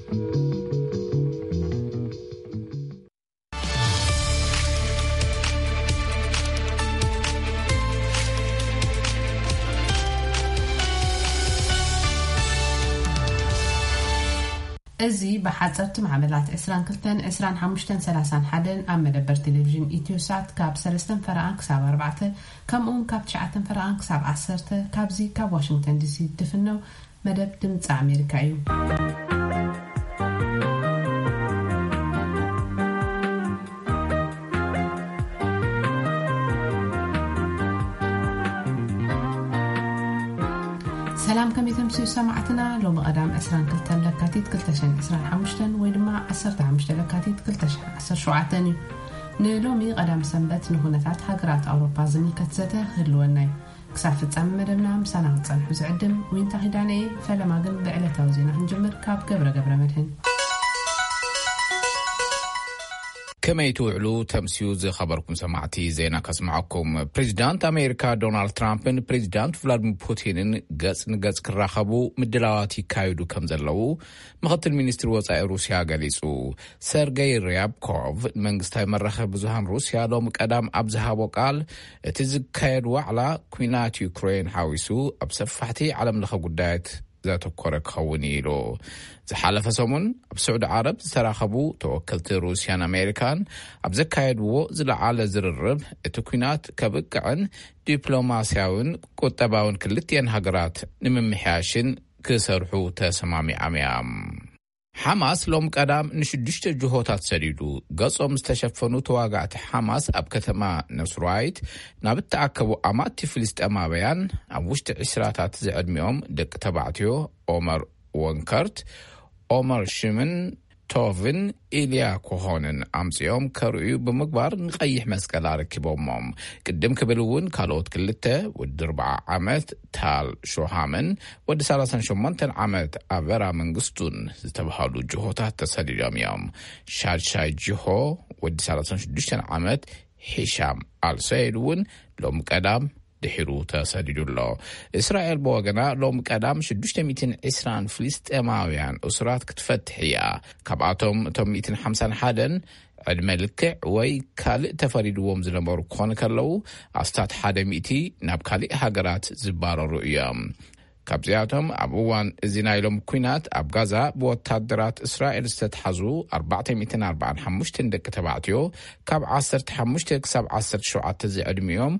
እዚ ብሓጸርቲ ማዕበላት ዕስራን ክልተን፣ ዕስራን ሓሙሽተን፣ ሰላሳን ሓደን ኣብ መደበር ቴሌቪዥን ኢትዮሳት ካብ ሰለስተን ፈረቓን ክሳብ ኣርባዕተ፣ ከምኡውን ካብ ትሽዓተን ፈረቓን ክሳብ ዓሰርተ፣ ካብዚ ካብ ዋሽንግተን ዲሲ ትፍነው መደብ ድምፂ ኣሜሪካ እዩ። ሰላም፣ ከመይ ተምስዩ ሰማዕትና? ሎሚ ቀዳም ዕስራን ክልተን ለካቲት ክልተ ሽሕን ዕስራን ሓሙሽተን ወይ ድማ ዓሰርተ ሓሙሽተ ለካቲት ክልተ ሽሕን ዓሰርተ ሸውዓተን እዩ። ንሎሚ ቀዳም ሰንበት ንኩነታት ሃገራት ኣውሮፓ ዝምልከት ዘተ ክህልወና እዩ። ክሳብ ፍጻመ መደብና ምሳና ክትጸንሑ ዝዕድም ዊንታ ኪዳነ እየ። ፈለማ ግን ብዕለታዊ ዜና ክንጅምር ካብ ገብረ ገብረ መድህን። ከመይ ትውዕሉ ተምስዩ ዝኸበርኩም ሰማዕቲ፣ ዜና ከስምዓኩም። ፕሬዚዳንት ኣሜሪካ ዶናልድ ትራምፕን ፕሬዚዳንት ቭላድሚር ፑቲንን ገጽ ንገጽ ክራኸቡ ምድላዋት ይካየዱ ከም ዘለዉ ምኽትል ሚኒስትሪ ወጻኢ ሩስያ ገሊጹ። ሰርገይ ርያብኮቭ ንመንግስታዊ መራኸቢ ብዙሃን ሩስያ ሎሚ ቀዳም ኣብ ዝሃቦ ቃል፣ እቲ ዝካየድ ዋዕላ ኲናት ዩክሬን ሓዊሱ ኣብ ሰፋሕቲ ዓለምለኸ ጉዳያት ዘተኮረ ክኸውን እዩ ኢሉ። ዝሓለፈ ሰሙን ኣብ ስዑዲ ዓረብ ዝተራኸቡ ተወከልቲ ሩስያን ኣሜሪካን ኣብ ዘካየድዎ ዝለዓለ ዝርርብ፣ እቲ ኲናት ከብቅዕን ዲፕሎማስያውን ቁጠባውን ክልቲኤን ሃገራት ንምምሕያሽን ክሰርሑ ተሰማሚዖም እዮም። ሓማስ ሎም ቀዳም ንሽዱሽተ ጅሆታት ሰዲዱ። ገጾም ዝተሸፈኑ ተዋጋእቲ ሓማስ ኣብ ከተማ ነስራይት ናብ እተኣከቡ ኣማቲ ፍልስጤማውያን፣ ኣብ ውሽጢ ዕስራታት ዝዕድሚኦም ደቂ ተባዕትዮ ኦመር ወንከርት፣ ኦመር ሽምን ቶቭን ኢልያ ኮሆንን ኣምጺኦም ከርእዩ ብምግባር ንቐይሕ መስቀል ኣረኪቦሞም። ቅድም ክብል እውን ካልኦት ክልተ፣ ወዲ ኣርብዓ ዓመት ታል ሾሃምን ወዲ ሰላሳን ሸሞንተን ዓመት ኣበራ መንግስቱን ዝተባህሉ ጅሆታት ተሰዲዶም እዮም። ሻድሻይ ጅሆ ወዲ ሰላሳን ሽዱሽተን ዓመት ሂሻም ኣልሰይድ እውን ሎም ቀዳም ድሒሩ ተሰዲዱ ኣሎ። እስራኤል ብወገና ሎም ቀዳም ሽዱሽተ ሚእትን ዕስራን ፍልስጤማውያን እሱራት ክትፈትሕ እያ። ካብኣቶም እቶም ሚእትን ሓምሳን ሓደን ዕድመ ልክዕ ወይ ካልእ ተፈሪድዎም ዝነበሩ ክኾኑ ከለዉ፣ ኣስታት ሓደ ሚእቲ ናብ ካልእ ሃገራት ዝባረሩ እዮም። ካብዚኣቶም ኣብ እዋን እዚ ናይ ሎም ኲናት ኣብ ጋዛ ብወታደራት እስራኤል ዝተትሓዙ ኣርባዕተ ሚእትን ኣርባዓን ሓሙሽተን ደቂ ተባዕትዮ፣ ካብ ዓሰርተ ሓሙሽተ ክሳብ ዓሰርተ ሸውዓተ ዝዕድሚኦም፣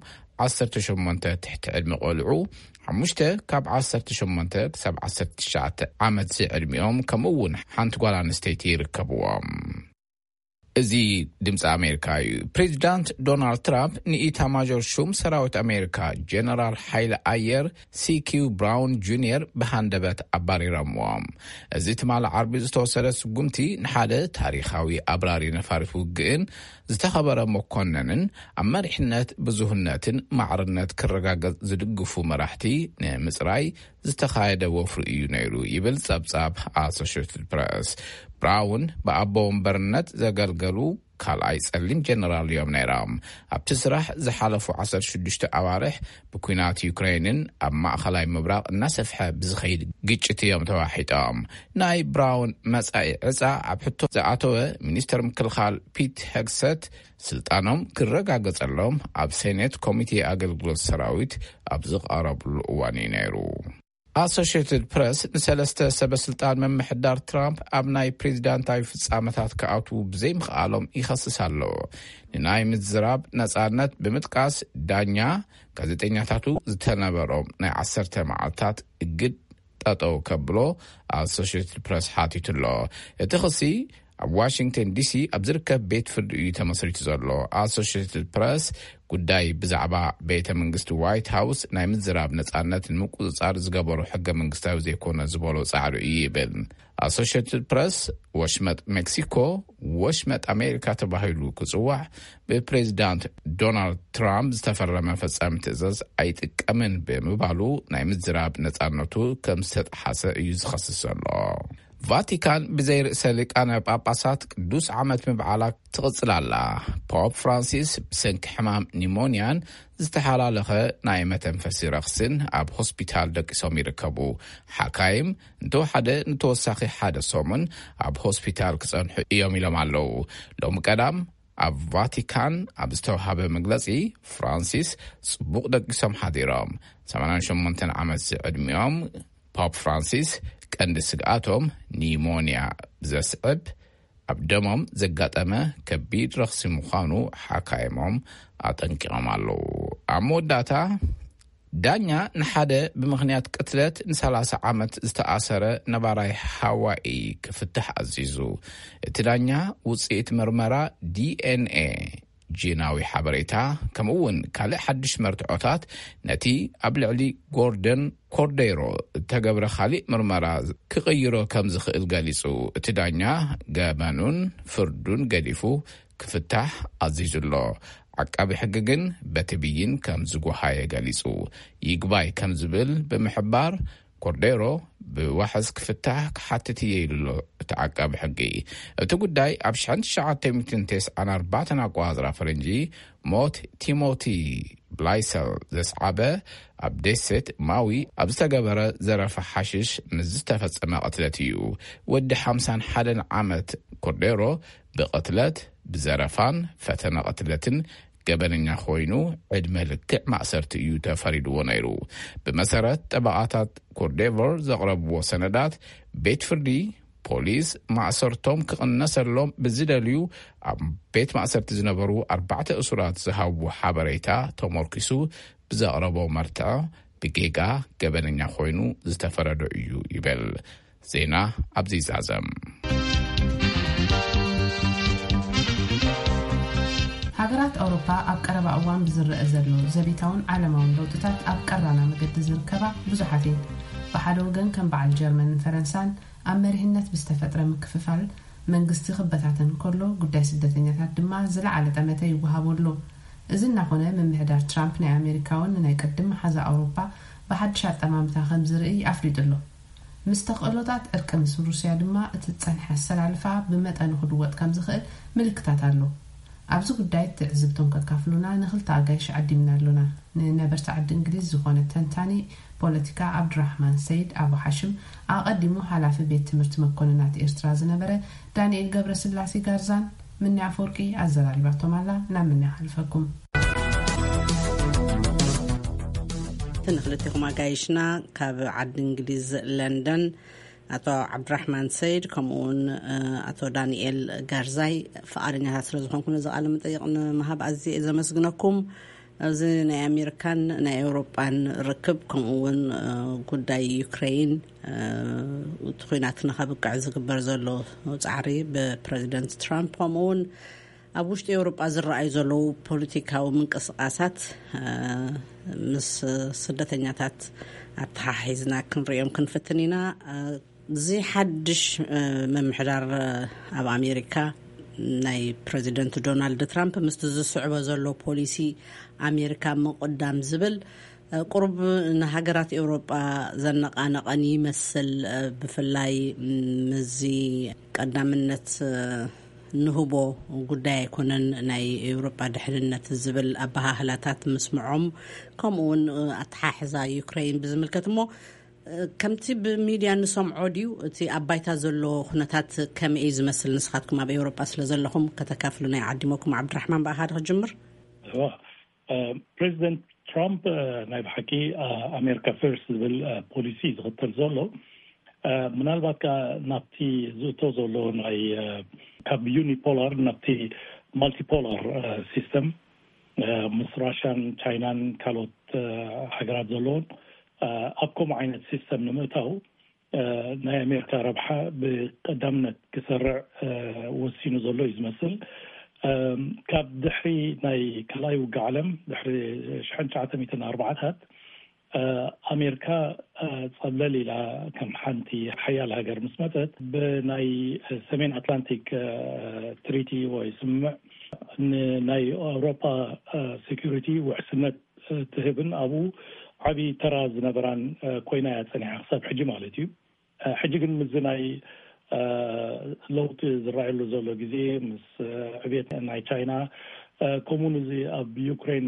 ዓሰርተ ሸሞንተ ትሕቲ ዕድመ ቆልዑ፣ ሓሙሽተ ካብ ዓሰርተ ሸሞንተ ክሳብ ዓሰርተ ትሽዓተ ዓመት ዝዕድሚኦም፣ ከምኡ እውን ሓንቲ ጓል ኣንስተይቲ ይርከብዎም። እዚ ድምፂ ኣሜሪካ እዩ። ፕሬዚዳንት ዶናልድ ትራምፕ ንኢታማዦር ሹም ሰራዊት ኣሜሪካ ጀነራል ሓይሊ ኣየር ሲኪው ብራውን ጁኒየር ብሃንደበት ኣባሪሮምዎም። እዚ ትማሊ ዓርቢ ዝተወሰደ ስጉምቲ ንሓደ ታሪኻዊ ኣብራሪ ነፋሪት ውግእን ዝተኸበረ መኮነንን ኣብ መሪሕነት ብዙህነትን ማዕርነት ክረጋገጽ ዝድግፉ መራሕቲ ንምጽራይ ዝተኻየደ ወፍሪ እዩ ነይሩ ይብል ጸብጻብ ኣሶሽትድ ፕረስ። ብራውን ብኣቦ ወንበርነት ዘገልገሉ ካልኣይ ጸሊም ጀነራል እዮም ነይሮም። ኣብቲ ስራሕ ዝሓለፉ ዓሰርተ ሽዱሽተ ኣዋርሕ ብኲናት ዩክሬንን ኣብ ማእኸላይ ምብራቕ እናሰፍሐ ብዝኸይድ ግጭት እዮም ተዋሒጦም። ናይ ብራውን መጻኢ ዕጻ ኣብ ሕቶ ዝኣተወ ሚኒስተር ምክልኻል ፒት ሄግሰት ስልጣኖም ክረጋገጸሎም ኣብ ሴኔት ኮሚቴ ኣገልግሎት ሰራዊት ኣብ ዝቐረብሉ እዋን እዩ ነይሩ። ኣሶሽትድ ፕረስ ንሰለስተ ሰበ ስልጣን ምምሕዳር ትራምፕ ኣብ ናይ ፕሬዚዳንታዊ ፍጻመታት ክኣትዉ ብዘይምኽኣሎም ይኸስስ ኣሎ። ንናይ ምዝራብ ነጻነት ብምጥቃስ ዳኛ ጋዜጠኛታቱ ዝተነበሮም ናይ ዓሰርተ መዓልታት እግድ ጠጠው ከብሎ ኣሶሽትድ ፕረስ ሓቲቱ ኣሎ። እቲ ክሲ ኣብ ዋሽንግተን ዲሲ ኣብ ዝርከብ ቤት ፍርዲ እዩ ተመስሪቱ ዘሎ። ኣሶሽትድ ፕረስ ጉዳይ ብዛዕባ ቤተ መንግስቲ ዋይት ሃውስ ናይ ምዝራብ ነጻነት ንምቁጽጻር ዝገበሮ ሕገ መንግስታዊ ዘይኮነ ዝበሎ ጻዕሪ እዩ ይብል። ኣሶሽትድ ፕረስ ወሽመጥ ሜክሲኮ ወሽመጥ ኣሜሪካ ተባሂሉ ክጽዋዕ ብፕሬዚዳንት ዶናልድ ትራምፕ ዝተፈረመ ፈጻሚ ትእዛዝ ኣይጥቀምን ብምባሉ ናይ ምዝራብ ነጻነቱ ከም ዝተጠሓሰ እዩ ዝኸስስ ዘሎ። ቫቲካን ብዘይ ርእሰ ሊቃነ ጳጳሳት ቅዱስ ዓመት ምብዓላ ትቕጽል ኣላ። ፖፕ ፍራንሲስ ብሰንኪ ሕማም ኒሞንያን ዝተሓላለኸ ናይ መተንፈሲ ረኽስን ኣብ ሆስፒታል ደቂሶም ይርከቡ። ሓካይም እንተወሓደ ንተወሳኺ ሓደ ሰሙን ኣብ ሆስፒታል ክጸንሑ እዮም ኢሎም ኣለዉ። ሎሚ ቀዳም ኣብ ቫቲካን ኣብ ዝተዋሃበ መግለጺ፣ ፍራንሲስ ጽቡቕ ደቂሶም ሓዲሮም። ሰማንያን ሸሞንተን ዓመት ዝዕድሚኦም ፖፕ ፍራንሲስ ቀንዲ ስግኣቶም ኒሞንያ ብዘስዕብ ኣብ ደሞም ዘጋጠመ ከቢድ ረኽሲ ምዃኑ ሓካይሞም ኣጠንቂቖም ኣለዉ። ኣብ መወዳእታ፣ ዳኛ ንሓደ ብምኽንያት ቅትለት ንሰላሳ ዓመት ዝተኣሰረ ነባራይ ሃዋኢ ክፍትሕ ኣዚዙ። እቲ ዳኛ ውጽኢት ምርመራ ዲኤንኤ፣ ጂናዊ ሓበሬታ፣ ከምኡ እውን ካልእ ሓድሽ መርትዖታት ነቲ ኣብ ልዕሊ ጎርደን ኮርዴሮ እተገብረ ካልእ ምርመራ ክቕይሮ ከም ዝኽእል ገሊጹ። እቲ ዳኛ ገበኑን ፍርዱን ገዲፉ ክፍታሕ ኣዚዙ ኣሎ። ዓቃቢ ሕጊ ግን በቲ ብይን ከም ዝጎሃየ ገሊጹ። ይግባይ ከም ዝብል ብምሕባር፣ ኮርዴሮ ብዋሕስ ክፍታሕ ክሓትት እየ ኢሉ ኣሎ እቲ ዓቃቢ ሕጊ። እቲ ጉዳይ ኣብ ሽሕን ትሽዓተ ሚእትን ተስዓን ኣርባዕተን ኣቆጻጽራ ፈረንጂ ሞት ቲሞቲ ብላይሰል ዘስዓበ ኣብ ደሴት ማዊ ኣብ ዝተገበረ ዘረፋ ሓሽሽ ምስ ዝተፈጸመ ቅትለት እዩ። ወዲ ሓምሳን ሓደን ዓመት ኮርዴሮ ብቕትለት፣ ብዘረፋን ፈተነ ቅትለትን ገበነኛ ኮይኑ ዕድመ ልክዕ ማእሰርቲ እዩ ተፈሪድዎ ነይሩ። ብመሰረት ጠበቓታት ኮርዴቮር ዘቕረብዎ ሰነዳት፣ ቤት ፍርዲ ፖሊስ ማእሰርቶም ክቕነሰሎም ብዝደልዩ ኣብ ቤት ማእሰርቲ ዝነበሩ ኣርባዕተ እሱራት ዝሃብዎ ሓበሬታ ተመርኪሱ ብዘቕረቦ መርትዖ ብጌጋ ገበነኛ ኮይኑ ዝተፈረዶ እዩ ይብል። ዜና ኣብዚ ይዛዘም። ሃገራት ኣውሮፓ ኣብ ቀረባ እዋን ብዝረአ ዘሎ ዘቤታውን ዓለማውን ለውጥታት ኣብ ቀራና መገዲ ዝርከባ ብዙሓት እየን። ብሓደ ወገን ከም በዓል ጀርመንን ፈረንሳን ኣብ መሪሕነት ብዝተፈጥረ ምክፍፋል መንግስቲ ክበታተን ከሎ፣ ጉዳይ ስደተኛታት ድማ ዝለዓለ ጠመተ ይወሃቦ ኣሎ። እዚ እናኾነ፣ ምምሕዳር ትራምፕ ናይ ኣሜሪካ እውን ንናይ ቅድም መሓዛ ኣውሮፓ ብሓድሽ ኣጠማምታ ከም ዝርኢ ኣፍሊጡ ኣሎ። ምስ ተኽእሎታት ዕርቂ ምስ ሩስያ ድማ እቲ ዝጸንሐ ኣሰላልፋ ብመጠኑ ክድወጥ ከም ዝኽእል ምልክታት ኣሎ። ኣብዚ ጉዳይ ትዕዝብቶም ከካፍሉና ንኽልተ ኣጋይሽ ዓዲምና ኣሎና። ንነበርቲ ዓዲ እንግሊዝ ዝኾነ ተንታኒ ፖለቲካ ዓብዱራሕማን ሰይድ ኣቡ ሓሽም፣ ኣቐዲሙ ሓላፊ ቤት ትምህርቲ መኮንናት ኤርትራ ዝነበረ ዳንኤል ገብረስላሴ ጋርዛን ምኒ ኣፈወርቂ ኣዘራሪባቶም ኣላ። ናብ ምኒ ይሓልፈኩም። እቲ ንክልቴኹም ኣጋይሽና ካብ ዓዲ እንግሊዝ ለንደን ኣቶ ዓብድራሕማን ሰይድ፣ ከምኡውን ኣቶ ዳንኤል ጋርዛይ፣ ፍቓደኛታት ስለ ዝኾንኩም ነዚ ቃለ መጠይቕ ንምሃብ ኣዝየ እየ ዘመስግነኩም። እዚ ናይ ኣሜሪካን ናይ ኤውሮጳን ርክብ፣ ከምኡ እውን ጉዳይ ዩክሬን፣ እቲ ኩናት ንኸብቅዕ ዝግበር ዘሎ ጻዕሪ ብፕረዚደንት ትራምፕ፣ ከምኡ እውን ኣብ ውሽጢ ኤውሮጳ ዝረኣዩ ዘለዉ ፖለቲካዊ ምንቅስቃሳት ምስ ስደተኛታት ኣተሓሒዝና ክንሪኦም ክንፍትን ኢና። እዚ ሓድሽ ምምሕዳር ኣብ ኣሜሪካ ናይ ፕረዚደንት ዶናልድ ትራምፕ ምስቲ ዝስዕቦ ዘሎ ፖሊሲ ኣሜሪካ ምቕዳም ዝብል ቁሩብ ንሃገራት ኤውሮጳ ዘነቓነቐን ይመስል። ብፍላይ ምስዚ ቀዳምነት ንህቦ ጉዳይ ኣይኮነን ናይ ኤውሮጳ ድሕንነት ዝብል ኣበሃህላታት ምስምዖም፣ ከምኡ እውን ኣተሓሕዛ ዩክሬን ብዝምልከት እሞ፣ ከምቲ ብሚድያ ንሰምዖ ድዩ እቲ ኣብ ባይታ ዘሎ ኩነታት ከመይ እዩ ዝመስል? ንስኻትኩም ኣብ ኤውሮጳ ስለ ዘለኹም ከተካፍሉና ይዓዲመኩም። ዓብድራሕማን፣ ብኣኻ ዶ ክጅምር? ፕሬዚደንት ትራምፕ ናይ ብሓቂ ኣሜሪካ ፈርስት ዝብል ፖሊሲ ዝኽተል ዘሎ፣ ምናልባት ከ ናብቲ ዝእቶ ዘሎ ናይ ካብ ዩኒፖላር ናብቲ ማልቲፖላር ሲስተም፣ ምስ ራሽያን ቻይናን ካልኦት ሃገራት ዘለውን ኣብ ከምኡ ዓይነት ሲስተም ንምእታው ናይ ኣሜሪካ ረብሓ ብቀዳምነት ክሰርዕ ወሲኑ ዘሎ እዩ ዝመስል። ካብ ድሕሪ ናይ ካልኣይ ውግእ ዓለም፣ ድሕሪ ሽሕን ትሽዓተ ሚእትን ኣርባዓታት፣ ኣሜሪካ ጸብለል ኢላ ከም ሓንቲ ሓያል ሃገር ምስ መጸት፣ ብናይ ሰሜን ኣትላንቲክ ትሪቲ ወይ ስምምዕ ንናይ ኣውሮፓ ሴኩሪቲ ውሕስነት ትህብን ኣብኡ ዓብዪ ተራ ዝነበራን ኮይና እያ ጸኒሓ ክሳብ ሕጂ ማለት እዩ። ሕጂ ግን ምስዚ ናይ ለውጢ ዝረኣየሉ ዘሎ ግዜ፣ ምስ ዕቤት ናይ ቻይና፣ ከምኡውን እዚ ኣብ ዩክሬን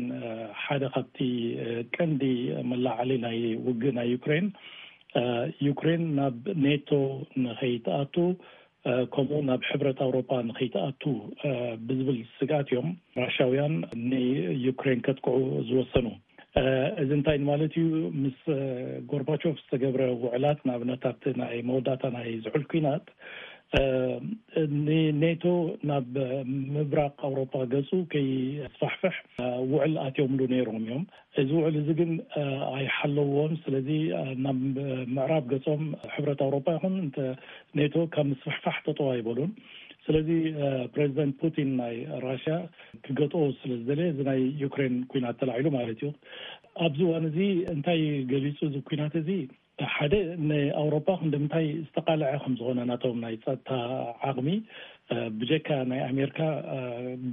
ሓደ ካብቲ ቀንዲ መላዓሊ ናይ ውግእ ናይ ዩክሬን፣ ዩክሬን ናብ ኔቶ ንኸይትኣቱ፣ ከምኡ ናብ ሕብረት ኣውሮፓ ንኸይትኣቱ ብዝብል ስግኣት እዮም ራሻውያን ንዩክሬን ከጥቅዑ ዝወሰኑ። እዚ እንታይ ማለት እዩ? ምስ ጎርባቾቭ ዝተገብረ ውዕላት፣ ንኣብነት ኣብቲ ናይ መወዳእታ ናይ ዝሑል ኲናት፣ ንኔቶ ናብ ምብራቕ ኣውሮፓ ገጹ ከይስፋሕፍሕ ውዕል ኣትዮምሉ ነይሮም እዮም። እዚ ውዕል እዚ ግን ኣይሓለዎን። ስለዚ ናብ ምዕራብ ገጾም ሕብረት ኣውሮፓ ይኹን እንተ ኔቶ ካብ ምስፍሕፋሕ ጠጠው ኣይበሉን። ስለዚ ፕሬዚደንት ፑቲን ናይ ራሽያ ክገጥኦ ስለ ዝደለየ፣ እዚ ናይ ዩክሬን ኲናት ተላዒሉ ማለት እዩ። ኣብዚ እዋን እዚ እንታይ ገሊጹ? እዚ ኲናት እዚ ሓደ ንኣውሮፓ ክንደምንታይ ዝተቃለዐ ከም ዝኾነ፣ ናቶም ናይ ጸጥታ ዓቕሚ ብጀካ ናይ ኣሜሪካ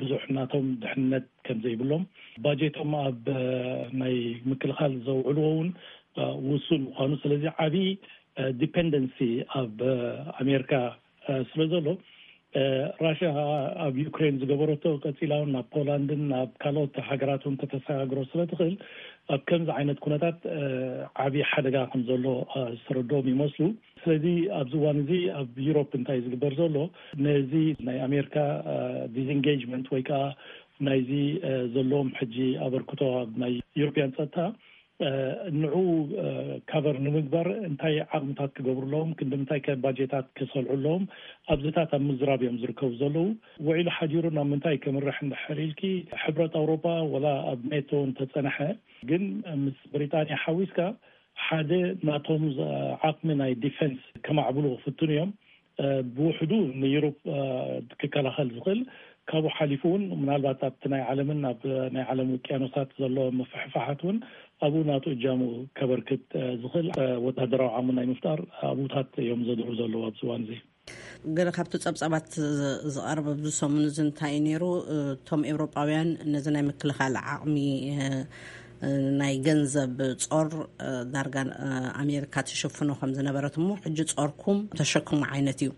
ብዙሕ ናቶም ድሕነት ከም ዘይብሎም፣ ባጀቶም ኣብ ናይ ምክልኻል ዘውዕልዎ እውን ውሱን ምዃኑ፣ ስለዚ ዓብዪ ዲፐንደንሲ ኣብ ኣሜሪካ ስለ ዘሎ፣ ራሽያ ኣብ ዩክሬን ዝገበረቶ ቀጺላ እውን ናብ ፖላንድን ናብ ካልኦት ሃገራት እውን ከተሰጋግሮ ስለ ትኽእል፣ ኣብ ከምዚ ዓይነት ኩነታት ዓብዪ ሓደጋ ከም ዘሎ ዝተረድኦም ይመስሉ። ስለዚ ኣብዚ እዋን እዚ ኣብ ዩሮፕ እንታይ ዝግበር ዘሎ፣ ነዚ ናይ ኣሜሪካ ዲስኢንጌጅመንት ወይ ከዓ ናይዚ ዘለዎም ሕጂ ኣበርክቶ ኣብ ናይ ዩሮፕያን ጸጥታ ንዑ ካቨር ንምግባር እንታይ ዓቕምታት ክገብሩ ኣለዎም፣ ክንዲ ምንታይ ከ ባጀታት ክሰልዑ ኣለዎም፣ ኣብዚታት ኣብ ምዝራብ እዮም ዝርከቡ ዘለዉ። ውዒሉ ሓዲሩ ናብ ምንታይ ከምርሕ እንድሕር ኢልኪ፣ ሕብረት ኣውሮፓ ወላ ኣብ ኔቶ እንተጸንሐ፣ ግን ምስ ብሪጣንያ ሓዊስካ ሓደ ናቶም ዓቕሚ ናይ ዲፌንስ ከማዕብሉ ክፍትኑ እዮም። ብውሕዱ ንዩሮፕ ክከላኸል ዝኽእል፣ ካብኡ ሓሊፉ እውን ምናልባት ኣብቲ ናይ ዓለምን ኣብ ናይ ዓለም ውቅያኖሳት ዘሎ ምፍሕፋሓት እውን ኣብኡ ናቱ እጃሙ ከበርክት ዝኽእል ወታደራዊ ዓቕሚ ናይ ምፍጣር ኣብኡታት እዮም ዘድሩ ዘለዉ ኣብዚ እዋን እዚ። ገለ ካብቲ ጸብጻባት ዝቐርብ ኣብዚ ሰሙን እዚ እንታይ እዩ ነይሩ? እቶም ኤውሮጳውያን ነዚ ናይ ምክልኻል ዓቕሚ ናይ ገንዘብ ጾር ዳርጋ ኣሜሪካ ትሽፍኖ ከም ዝነበረት፣ እሞ ሕጂ ጾርኩም ተሸክሙ ዓይነት እዩ።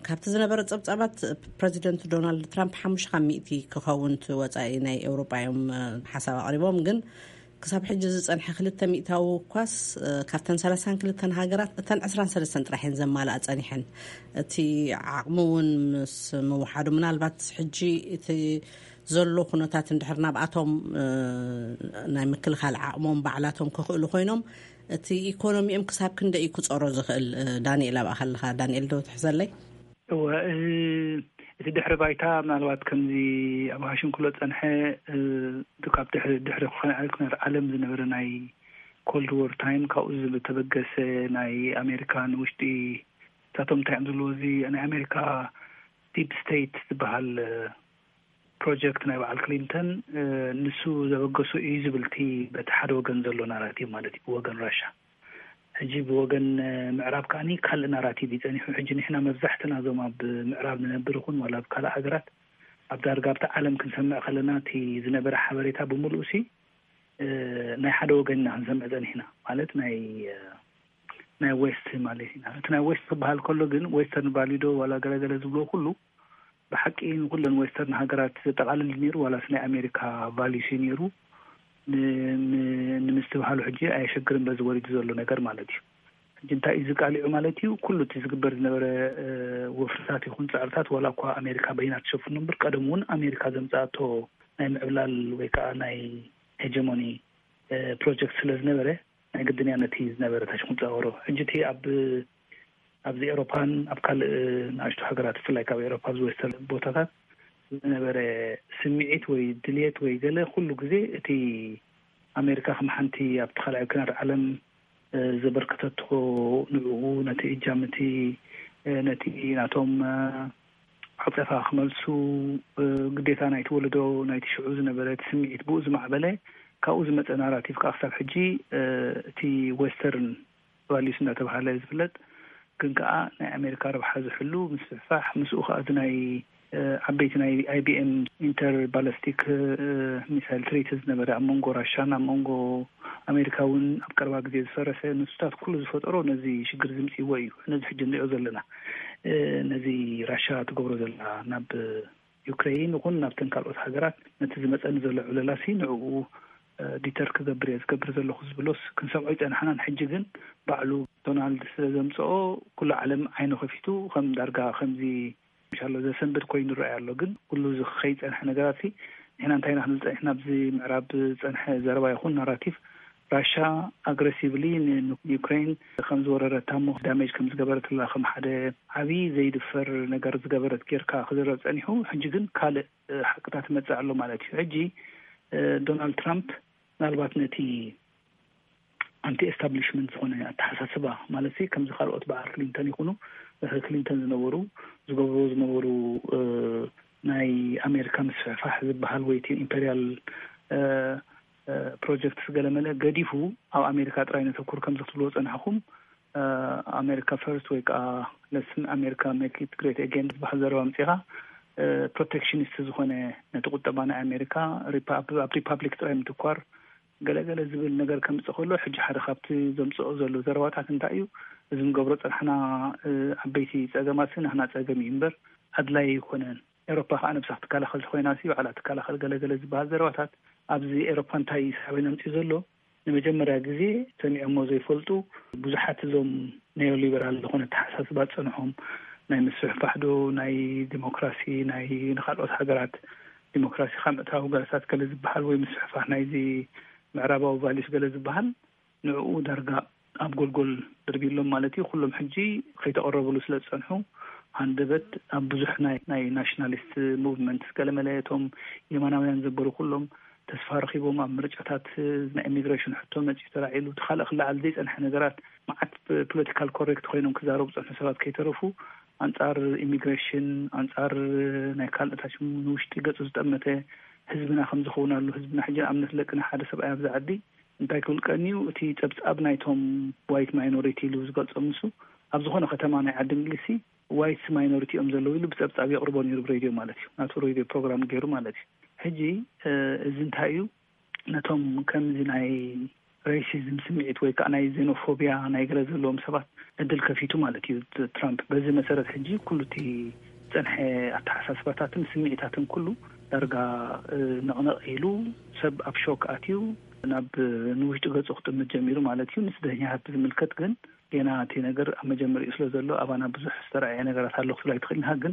ካብቲ ዝነበረ ጸብጻባት፣ ፕረዚደንት ዶናልድ ትራምፕ ሓሙሽተ ካብ ሚእቲ ክኸውን እቲ ወጻኢ ናይ ኤውሮጳ እዮም ሓሳብ ኣቕሪቦም። ግን ክሳብ ሕጂ ዝጸንሐ ክልተ ሚእታዊ እኳስ ካብተን ሰላሳን ክልተን ሃገራት እተን ዕስራን ሰለስተን ጥራሕ እየን ዘማልኣ ጸኒሐን። እቲ ዓቕሚ እውን ምስ ምውሓዱ፣ ምናልባት ሕጂ እቲ ዘሎ ኩነታት እንድሕር ናብኣቶም ናይ ምክልኻል ዓቕሞም ባዕላቶም ክኽእሉ ኮይኖም፣ እቲ ኢኮኖሚኦም ክሳብ ክንደይ እዩ ክጸሮ ዝኽእል? ዳንኤል፣ ኣብኣ ከለኻ፣ ዳንኤል ዶ ትሕዘለይ? እወ፣ እቲ ድሕሪ ባይታ ምናልባት ከምዚ ኣብ ዋሽንግተን ዝጸንሐ፣ እቲ ካብ ድሕሪ፣ ድሕሪ ኩነ-፣ ኩነታት ዓለም ዝነበረ ናይ ኮልድ ዎር ታይም፣ ካብኡ ዝተበገሰ ናይ ኣሜሪካ ንውሽጢ፣ እሳቶም እንታይ እዮም ዝብልዎ፣ እዚ ናይ ኣሜሪካ ዲፕ ስቴት ዝበሃል ፕሮጀክት ናይ በዓል ክሊንተን፣ ንሱ ዘበገሶ እዩ ዝብል እቲ በቲ ሓደ ወገን ዘሎ ናራቲቭ ማለት እዩ፣ ብወገን ራሻ። ሕጂ ብወገን ምዕራብ ከኣኒ ካልእ ናራቲቭ እዩ ጸኒሑ። ሕጂ ንሕና መብዛሕትና እዞም ኣብ ምዕራብ ንነብር ይኹን ዋላ ኣብ ካልእ ሃገራት፣ ኣብ ዳርጋ ኣብቲ ዓለም ክንሰምዕ ከለና፣ እቲ ዝነበረ ሓበሬታ ብምሉኡ ሲ፣ ናይ ሓደ ወገን ኢና ክንሰምዕ ጸኒሕና። ማለት ናይ፣ ናይ ዌስት ማለት ኢና። እቲ ናይ ዌስት ክበሃል ከሎ ግን፣ ዌስተርን ቫልዩ ዶ ዋላ ገለገለ ዝብልዎ ኩሉ፣ ብሓቂ ንኩለን ዌስተርን ሃገራት ዘጠቓልል ነይሩ፣ ዋላስ ናይ ኣሜሪካ ቫልዩስ እዩ ነይሩ? ን-፣ ን-፣ ንምስትብሃሉ ሕጂ ኣየሸግርን፣ በዚ ወሪዱ ዘሎ ነገር ማለት እዩ። ሕጂ እንታይ እዩ ዝቃሊዑ ማለት እዩ? ኩሉ እቲ ዝግበር ዝነበረ፣ እ፣ ወፍርታት ይኹን ጸዕርታት፣ ዋላ እኳ ኣሜሪካ በይና ትሸፍኑ እምበር፣ ቀደም እውን ኣሜሪካ ዘምጻኣቶ ናይ ምዕብላል ወይ ከዓ ናይ ሄጀሞኒ፣ እ፣ ፕሮጀክት ስለ ዝነበረ፣ ናይ ግድን እያ ነቲ ዝነበረ ታሽሙን ጸወሮ። ሕጂ እቲ ኣብ፣ ኣብዚ ኤውሮፓን ኣብ ካልእ ንኣሽቱ ሃገራት፣ ብፍላይ ካብ ኤውሮፓ፣ ኣብዚ ዌስተርን ቦታታት ዝነበረ ስምዒት ወይ ድልየት ወይ ገለ፣ ኩሉ ግዜ እቲ ኣሜሪካ ከም ሓንቲ ኣብቲ ካልኣይ ኩናት ዓለም፣ እ፣ ዘበርከተቶ፣ ንዕኡ፣ ነቲ እጃም እቲ፣ እ፣ ነቲ ናቶም፣ እ፣ ዓጸፋ ክመልሱ፣ እ፣ ግዴታ ናይቲ ወለዶ፣ ናይቲ ሽዑ ዝነበረ እቲ ስምዒት ብኡ ዝማዕበለ፣ ካብኡ ዝመጸ ናራቲቭ ከኣ ክሳብ ሕጂ፣ እ፣ እቲ ዌስተርን ቫልዩስ እናተባሃለ ዝፍለጥ፣ ግን ከኣ ናይ ኣሜሪካ ረብሓ ዝሕሉ ምስፍሕፋሕ፣ ምስኡ ከኣ እዚ ናይ፣ እ፣ ዓበይቲ ናይ ኣይ ቢ ኤም ኢንተር ባለስቲክ፣ እ፣ ሚሳይል ትሪቲ ዝነበረ ኣብ መንጎ ራሻን ኣብ መንጎ ኣሜሪካ እውን ኣብ ቀረባ ግዜ ዝፈረሰ፣ ንሱታት ኩሉ ዝፈጠሮ ነዚ ሽግር ዝምጽእዎ እዩ። ነዚ ሕጂ ንሪኦ ዘለና። ነዚ ራሻ ትገብሮ ዘላ ናብ ዩክሬን ይኹን ናብተን ካልኦት ሃገራት ነቲ ዝመፀኒ ዘሎ ዕለላሲ ንዕኡ ዲተር ክገብር እየ ዝገብር ዘለኹ ዝብሎስ ክንሰምዖ ይፀናሕናን። ሕጂ ግን ባዕሉ ዶናልድ ስለ ዘምፅኦ ኩሉ ዓለም ዓይኑ ከፊቱ ከም ዳርጋ ከምዚ ምሻሎ ዘሰንብድ ኮይኑ ይረኣይ ኣሎ። ግን ኩሉ እዚ ከይፀንሐ ነገራት ንሕና እንታይ ኢና ክንብል ፀኒሕና? ኣብዚ ምዕራብ ዝፀንሐ ዘረባ ይኹን ናራቲቭ ራሻ ኣግረሲቭሊ ንዩክሬን ከም ዝወረረታ እሞ ዳሜጅ ከም ዝገበረትላ ከም ሓደ ዓብዪ ዘይድፈር ነገር ዝገበረት ጌርካ ክዝረብ ፀኒሑ። ሕጂ ግን ካልእ ሓቅታት ይመፅእ ኣሎ ማለት እዩ። ሕጂ ዶናልድ ትራምፕ ምናልባት ነቲ ኣንቲ ኤስታብሊሽመንት ዝኾነ ኣተሓሳስባ ማለት ከምዚ ካልኦት በዓል ክሊንተን ይኹኑ ክሊንተን ዝነበሩ ዝገብርዎ ዝነበሩ ናይ ኣሜሪካ ምስፍሕፋሕ ዝበሃል ወይ ኢምፔሪያል ፕሮጀክትስ ገለመለ ገዲፉ ኣብ ኣሜሪካ ጥራይ ነተኩር ከምዚ ክትብልዎ ፀናሕኩም ኣሜሪካ ፈርስት ወይ ከዓ ለስን ኣሜሪካ ሜክ ኢት ግሬት ኤጌን ዝበሃል ዘረባ ምፅኻ ፕሮቴክሽኒስት ዝኾነ ነቲ ቁጠባ ናይ ኣሜሪካ ኣብ ሪፓብሊክ ጥራይ ምትኳር ገለገለ ዝብል ነገር ከምፅእ ከሎ ሕጂ ሓደ ካብቲ ዘምፅኦ ዘሎ ዘረባታት እንታይ እዩ? እዚ ንገብሮ ፀናሕና ዓበይቲ ፀገማት ናህና ፀገም እዩ እምበር ኣድላይ ኣይኮነን። ኤሮፓ ከዓ ነብሳ ክትከላኸል ኮይና ባዕላ ትከላኸል ገለገለ ዝበሃል ዘረባታት ኣብዚ ኤሮፓ እንታይ ሳበይ ኣምፅኡ ዘሎ ንመጀመርያ ግዜ ሰሚዖሞ ዘይፈልጡ ብዙሓት እዞም ኔዮሊበራል ዝኾነ ተሓሳስባ ዝፀንሖም ናይ ምስፍሕፋሕ ዶ ናይ ዲሞክራሲ ናይ ንካልኦት ሃገራት ዲሞክራሲ ካብ ምእታው ገለታት ገለ ዝበሃል ወይ ምስፍሕፋሕ ናይዚ ምዕራባዊ ቫሊስ ገለ ዝበሃል ንዕኡ ዳርጋ ኣብ ጎልጎል ድርቢሎም ማለት እዩ። ኩሎም ሕጂ ከይተቐረብሉ ስለ ዝፀንሑ ሃንደበት ኣብ ብዙሕ ናይ ናይ ናሽናሊስት ሙቭመንት ገለመለ እቶም የማናውያን ዘበሩ ኩሎም ተስፋ ረኺቦም ኣብ ምርጫታት ናይ ኢሚግሬሽን ሕቶ መፂኡ ተላዒሉ እቲ ካልእ ክለዓል ዘይፀንሐ ነገራት መዓት ፖለቲካል ኮሬክት ኮይኖም ክዛረቡ ዝፀንሑ ሰባት ከይተረፉ ኣንፃር ኢሚግሬሽን ኣንፃር ናይ ካልኦታት ንውሽጢ ገፁ ዝጠመተ ህዝብና ከም ዝኸውን ኣሎ። ህዝብና ሕጂ ንኣብነት ለቅና ሓደ ሰብኣይ ኣብዚ ዓዲ እንታይ ክብል ቀንዩ እቲ ፀብፃብ ናይቶም ዋይት ማይኖሪቲ ኢሉ ዝገልፆም ንሱ ኣብ ዝኾነ ከተማ ናይ ዓዲ እንግሊዝሲ ዋይትስ ማይኖሪቲ እዮም ዘለዉ ኢሉ ብፀብፃብ የቕርቦ ነይሩ ብሬድዮ ማለት እዩ ናቱ ሬድዮ ፕሮግራም ገይሩ ማለት እዩ። ሕጂ እዚ እንታይ እዩ ነቶም ከምዚ ናይ ሬሲዝም ስምዒት ወይ ከዓ ናይ ዜኖፎቢያ ናይ ገለ ዘለዎም ሰባት እድል ከፊቱ ማለት እዩ ትራምፕ። በዚ መሰረት ሕጂ ኩሉ እቲ ዝፀንሐ ኣተሓሳስባታትን ስምዒታትን ኩሉ ዳርጋ ነቕነቕ ኢሉ ሰብ ኣብ ሾክ ኣትዩ ናብ ንውሽጢ ገፁ ክጥምት ጀሚሩ ማለት እዩ። ንስደተኛታት ብዝምልከት ግን ጌና እቲ ነገር ኣብ መጀመሪኡ ስለ ዘሎ ኣባና ብዙሕ ዝተረኣየ ነገራት ኣሎ ክትብል ኣይትኽእልን። ግን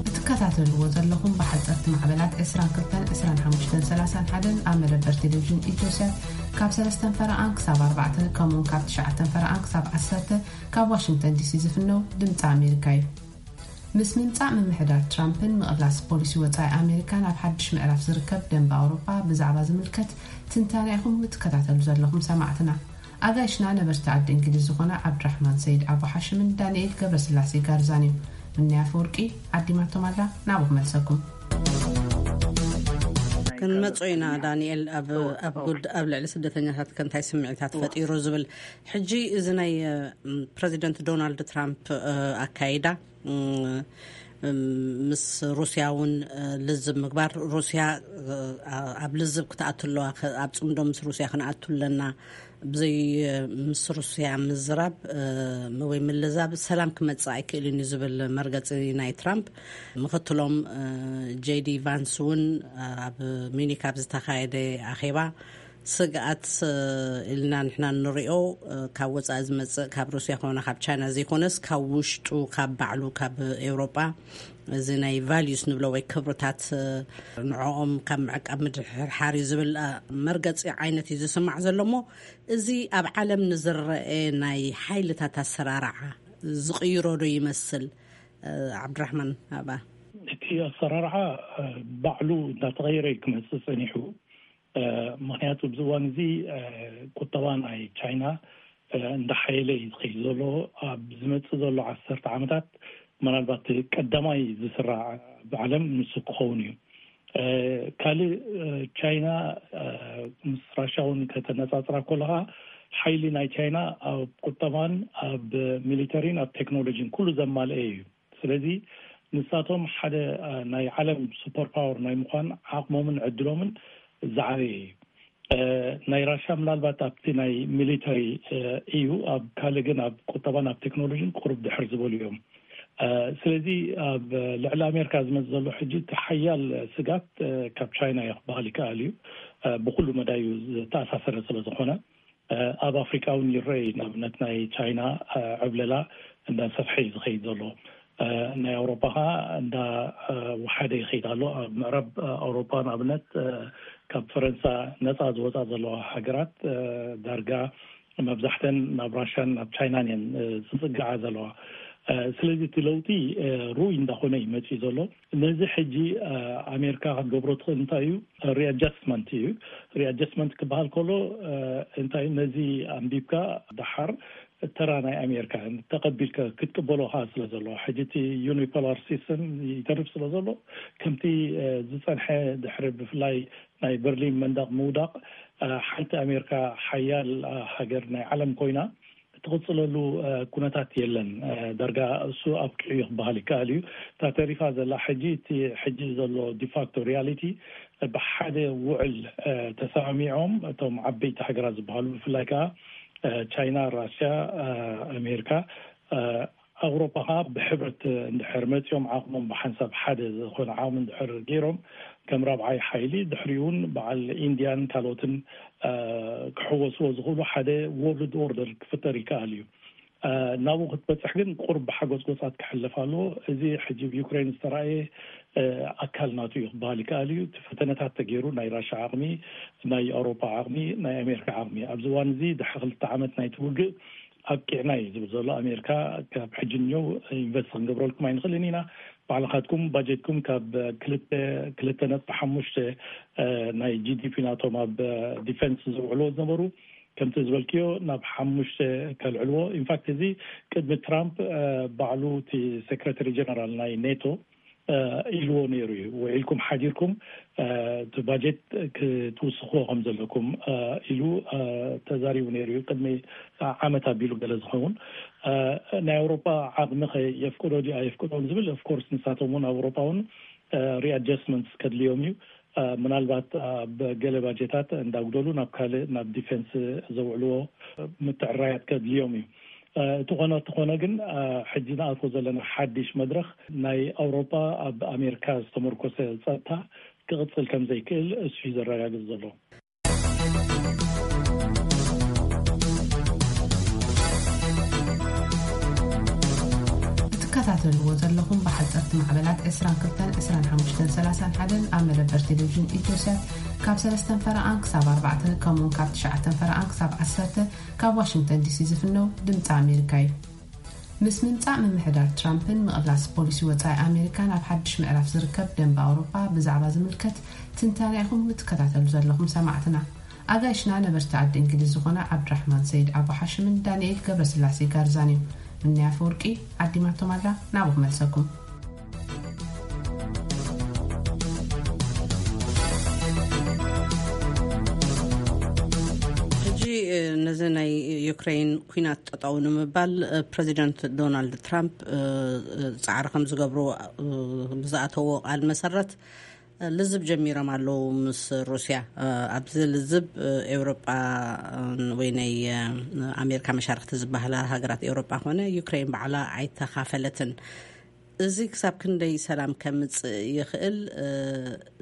እትከታተልዎ ዘለኹም ብሓፀርቲ ማዕበላት ዕስራን ክልተን ዕስራን ሓሙሽተን ሰላሳን ሓደን ኣብ መደበር ቴሌቪዥን ኢትዮስያት ካብ ሰለስተን ፈረቓን ክሳብ ኣርባዕተ ከምኡውን ካብ ትሽዓተን ፈረቓን ክሳብ ዓሰርተ ካብ ዋሽንግተን ዲሲ ዝፍነው ድምፂ ኣሜሪካ እዩ። ምስ ምምፃእ ምምሕዳር ትራምፕን ምቕላስ ፖሊሲ ወፃኢ ኣሜሪካ ናብ ሓድሽ ምዕራፍ ዝርከብ ደንበ ኣውሮጳ ብዛዕባ ዝምልከት ትንታነ ኢኹም እትከታተሉ ዘለኹም ሰማዕትና። ኣጋይሽና ነበርቲ ዓዲ እንግሊዝ ዝኾነ ዓብድራሕማን ሰይድ ኣቡ ሓሽምን ዳንኤል ገብረስላሴ ጋርዛን እዮም። ምንያ ኣፈወርቂ ዓዲማቶም ኣላ ናብኡ ክመልሰኩም። ክንመጾ ኢና ዳንኤል ኣብ ኣብ ጉድ ኣብ ልዕሊ ስደተኛታት ከንታይ ስምዒታት ፈጢሩ ዝብል ሕጂ እዚ ናይ ፕረዚደንት ዶናልድ ትራምፕ ኣካይዳ ምስ ሩስያ እውን ልዝብ ምግባር ሩስያ ኣብ ልዝብ ክትኣቱ ኣለዋ ኣብ ፅምዶ ምስ ሩስያ ክንኣቱ ኣለና ብዘይ ምስ ሩስያ ምዝራብ ወይ ምልዛብ ሰላም ክመፅእ ኣይክእልን እዩ ዝብል መርገፂ ናይ ትራምፕ ምክትሎም ጄዲ ቫንስ እውን ኣብ ሚኒክ ኣብ ዝተካየደ ኣኼባ ስግኣት ኢልና ንሕና ንሪኦ ካብ ወፃኢ ዝመፅእ ካብ ሩስያ ኮነ ካብ ቻይና ዘይኮነስ ካብ ውሽጡ ካብ ባዕሉ ካብ ኤውሮጳ እዚ ናይ ቫልዩስ ንብሎ ወይ ክብርታት ንዕኦም ካብ ምዕቃብ ምድሕርሓር እዩ ዝብል መርገፂ ዓይነት እዩ ዝስማዕ ዘሎ እሞ እዚ ኣብ ዓለም ንዝረአ ናይ ሓይልታት ኣሰራርዓ ዝቕይሮ ዶ ይመስል? ዓብድራሕማን ኣባ እቲ ኣሰራርዓ ባዕሉ እንዳተቐየረ ክመፅእ ፀኒሑ። ምክንያቱ ኣብዚ እዋን እዚ ቁጠባ ናይ ቻይና እንዳሓየለ እዩ ዝኸይድ ዘሎ። ኣብ ዝመፅእ ዘሎ ዓሰርተ ዓመታት ምናልባት ቀዳማይ ዝስራዕ ብዓለም ንሱ ክኸውን እዩ። ካልእ ቻይና ምስ ራሻ እውን ከተነፃፅራ ከለካ ሓይሊ ናይ ቻይና ኣብ ቁጠባን ኣብ ሚሊተሪን ኣብ ቴክኖሎጂን ኩሉ ዘማልአ እዩ። ስለዚ ንሳቶም ሓደ ናይ ዓለም ሱፐር ፓወር ናይ ምኳን ዓቕሞምን ዕድሎምን ዝዓበየ እዩ። እ፣ ናይ ራሻ ምናልባት ኣብቲ ናይ ሚሊተሪ፣ እ፣ እዩ፣ ኣብ ካልእ ግን ኣብ ቁጠባን ኣብ ቴክኖሎጂን ቁሩብ ድሕር ዝበሉ እዮም። እ፣ ስለዚ ኣብ ልዕሊ ኣሜሪካ ዝመጽእ ዘሎ ሕጂ እቲ ሓያል ስጋት፣ እ፣ ካብ ቻይና እዩ ክበሃል ይከኣል እዩ። እ፣ ብኩሉ መዳዩ ዝተኣሳሰረ ስለ ዝኾነ፣ እ፣ ኣብ ኣፍሪካ እውን ይረኣይ። ንኣብነት ናይ ቻይና፣ እ፣ ዕብለላ እንዳሰፍሐ እዩ ዝኸይድ ዘሎ። እ፣ ናይ ኣውሮፓ ኸዓ እንዳ፣ እ፣ ወሓደ ይኸይድ ኣሎ። ኣብ ምዕራብ፣ እ፣ ኣውሮፓ ንኣብነት፣ እ፣ ካብ ፈረንሳ ነፃ ዝወፃ ዘለዋ ሃገራት፣ እ፣ ዳርጋ መብዛሕተን ናብ ራሻን ናብ ቻይናን እየን፣ እ፣ ዝፅግዓ ዘለዋ። እ፣ ስለዚ እቲ ለውጢ፣ እ፣ ርኡይ እንዳኾነ እዩ መፂኡ ዘሎ። ነዚ ሕጂ፣ እ፣ ኣሜሪካ ክትገብሮ ትኽእል እንታይ እዩ? ሪኣጀስትመንት እዩ። ሪኣጀስትመንት ክበሃል ከሎ፣ እ፣ እንታይ እዩ? ነዚ ኣንቢብካ ደሓር ተራ ናይ ኣሜሪካ ተቐቢልካ ክትቅበሎ ኸዓ ስለ ዘለዎ፣ ሕጂ እቲ ዩኒፖላር ሲስተም ይተርፍ ስለ ዘሎ፣ ከምቲ፣ እ፣ ዝጸንሐ ድሕሪ ብፍላይ ናይ በርሊን መንደቕ ምውዳቕ፣ እ፣ ሓንቲ ኣሜሪካ ሓያል፣ እ፣ ሃገር ናይ ዓለም ኮይና ትቕጽለሉ፣ እ፣ ኩነታት የለን። እ፣ ዳርጋ እሱ ኣብቂዑ እዩ ክበሃል ይከኣል እዩ። እታ ተሪፋ ዘላ ሕጂ፣ እቲ ሕጂ ዘሎ ዲፋክቶ ሪያሊቲ፣ ብሓደ ውዕል፣ እ፣ ተሰማሚዖም እቶም ዓበይቲ ሃገራት ዝበሃሉ፣ ብፍላይ ከኣ፣ እ፣ ቻይና፣ ራሽያ፣ እ፣ ኣሜሪካ፣ እ፣ ኣውሮፓ ከኣ ብሕብረት እንድሕር መጺኦም፣ ዓቕሞም ብሓንሳብ ሓደ ዝኾነ ዓቕሚ እንድሕር ገይሮም፣ ከም ራብዓይ ሓይሊ፣ ድሕሪኡ እውን በዓል ኢንድያን ካልኦትን፣ እ፣ ክሕወስዎ ዝኽእሉ ሓደ ወርልድ ኦርደር ክፍጠር ይከኣል እዩ። እ፣ ናብኡ ክትበጽሕ ግን ቁሩብ ብሓጎጽጎጻት ክሕለፍ ኣለዎ። እዚ ሕጂ ኣብ ዩክሬን ዝተራእየ፣ እ፣ ኣካል ናቱ እዩ ክበሃል ይከኣል እዩ። እቲ ፈተነታት ተገይሩ፣ ናይ ራሻ ዓቕሚ፣ ናይ ኣውሮፓ ዓቕሚ፣ ናይ ኣሜሪካ ዓቕሚ፣ ኣብዚ እዋን እዚ ድሕሪ ክልተ ዓመት ናይቲ ውግእ ኣብቂዕና እዩ ዝብል ዘሎ ኣሜሪካ። ካብ ሕጂ ንየው ኢንቨስት ክንገብረልኩም ኣይንኽእልን ኢና፣ ባዕልኻትኩም ባጀትኩም ካብ ክልተ፣ ክልተ ነጥቢ ሓሙሽተ፣ እ፣ ናይ ጂ ዲ ፒ ናቶም ኣብ ዲፌንስ ዘውዕልዎ ዝነበሩ፣ ከምቲ ዝበልክዮ ናብ ሓሙሽተ ከልዕልዎ። ኢንፋክት እዚ ቅድሚ ትራምፕ፣ እ፣ ባዕሉ እቲ ሴክሬታሪ ጀነራል ናይ ኔቶ፣ እ፣ ኢልዎ ነይሩ እዩ። ውዒልኩም ሓዲርኩም፣ እ፣ እቲ ባጀት ክትውስኽዎ ከም ዘለኩም፣ እ፣ ኢሉ፣ እ፣ ተዛሪቡ ነይሩ እዩ። ቅድሚ ዓመት ኣቢሉ ገለ ዝኸውን፣ እ፣ ናይ ኣውሮፓ ዓቕሚ ኸ የፍቅዶ ድዩ ኣየፍቅዶን ዝብል፣ ኦፍኮርስ ንሳቶም እውን ኣብ ኣውሮፓ እውን፣ እ፣ ሪኣጀስትመንትስ ከድልዮም እዩ። እ፣ ምናልባት ኣብ ገለ ባጀታት እንዳጉደሉ ናብ ካልእ፣ ናብ ዲፌንስ ዘውዕልዎ ምትዕራያት ከድልዮም እዩ። እ፣ እቲ ኾነ፣ እቲ ኾነ ግን፣ እ፣ ሕጂ ንኣትዎ ዘለና ሓድሽ መድረኽ ናይ ኣውሮፓ ኣብ ኣሜሪካ ዝተመርኮሰ ጸጥታ ክቕጽል ከም ዘይክእል እሱ እዩ ዘረጋግጽ ዘሎ። ትከታተልዎ ዘለኹም ብሓጸርቲ ማዕበላት ዕስራን ክልተን፣ ዕስራን ሓሙሽተን፣ ሰላሳን ሓደን ኣብ መደበር ቴሌቪዥን ኢትዮሳት ካብ ሰለስተን ፈረቓን ክሳብ ኣርባዕተ፣ ከምኡውን ካብ ትሽዓተን ፈረቓን ክሳብ ዓሰርተ ካብ ዋሽንግተን ዲሲ ዝፍነው ድምፂ ኣሜሪካ እዩ። ምስ ምምጻእ ምምሕዳር ትራምፕን ምቕላስ ፖሊሲ ወጻኢ ኣሜሪካን ኣብ ሓድሽ ምዕራፍ ዝርከብ ደንበ ኣውሮፓ ብዛዕባ ዝምልከት ትንታነ ኢኹም እትከታተሉ ዘለኹም ሰማዕትና። ኣጋይሽና ነበርቲ ዓዲ እንግሊዝ ዝኾና ዓብድራሕማን ሰይድ ኣቡ ሓሽምን ዳንኤል ገብረስላሴ ጋርዛን እዮም። ምንያ ኣፈወርቂ ዓዲማቶም ኣላ፣ ናብኡ ክመልሰኩም። ሕጂ፣ እ፣ ነዚ ናይ ዩክሬን ኲናት ጠጠው ንምባል፣ እ፣ ፕረዚደንት ዶናልድ ትራምፕ፣ እ፣ እ፣ ጻዕሪ ከም ዝገብሩ፣ እ፣ ብዝኣተዎ ቃል መሰረት፣ እ፣ ልዝብ ጀሚሮም ኣለዉ ምስ ሩስያ። እ፣ ኣብዚ ልዝብ፣ እ፣ ኤውሮጳ፣ እ፣ ወይ ናይ፣ እ፣ ኣሜሪካ መሻርክቲ ዝበሃላ ሃገራት ኤውሮጳ ኮነ ዩክሬን ባዕላ ኣይተኻፈለትን። እዚ ክሳብ ክንደይ ሰላም ከምጽእ ይኽእል? እ፣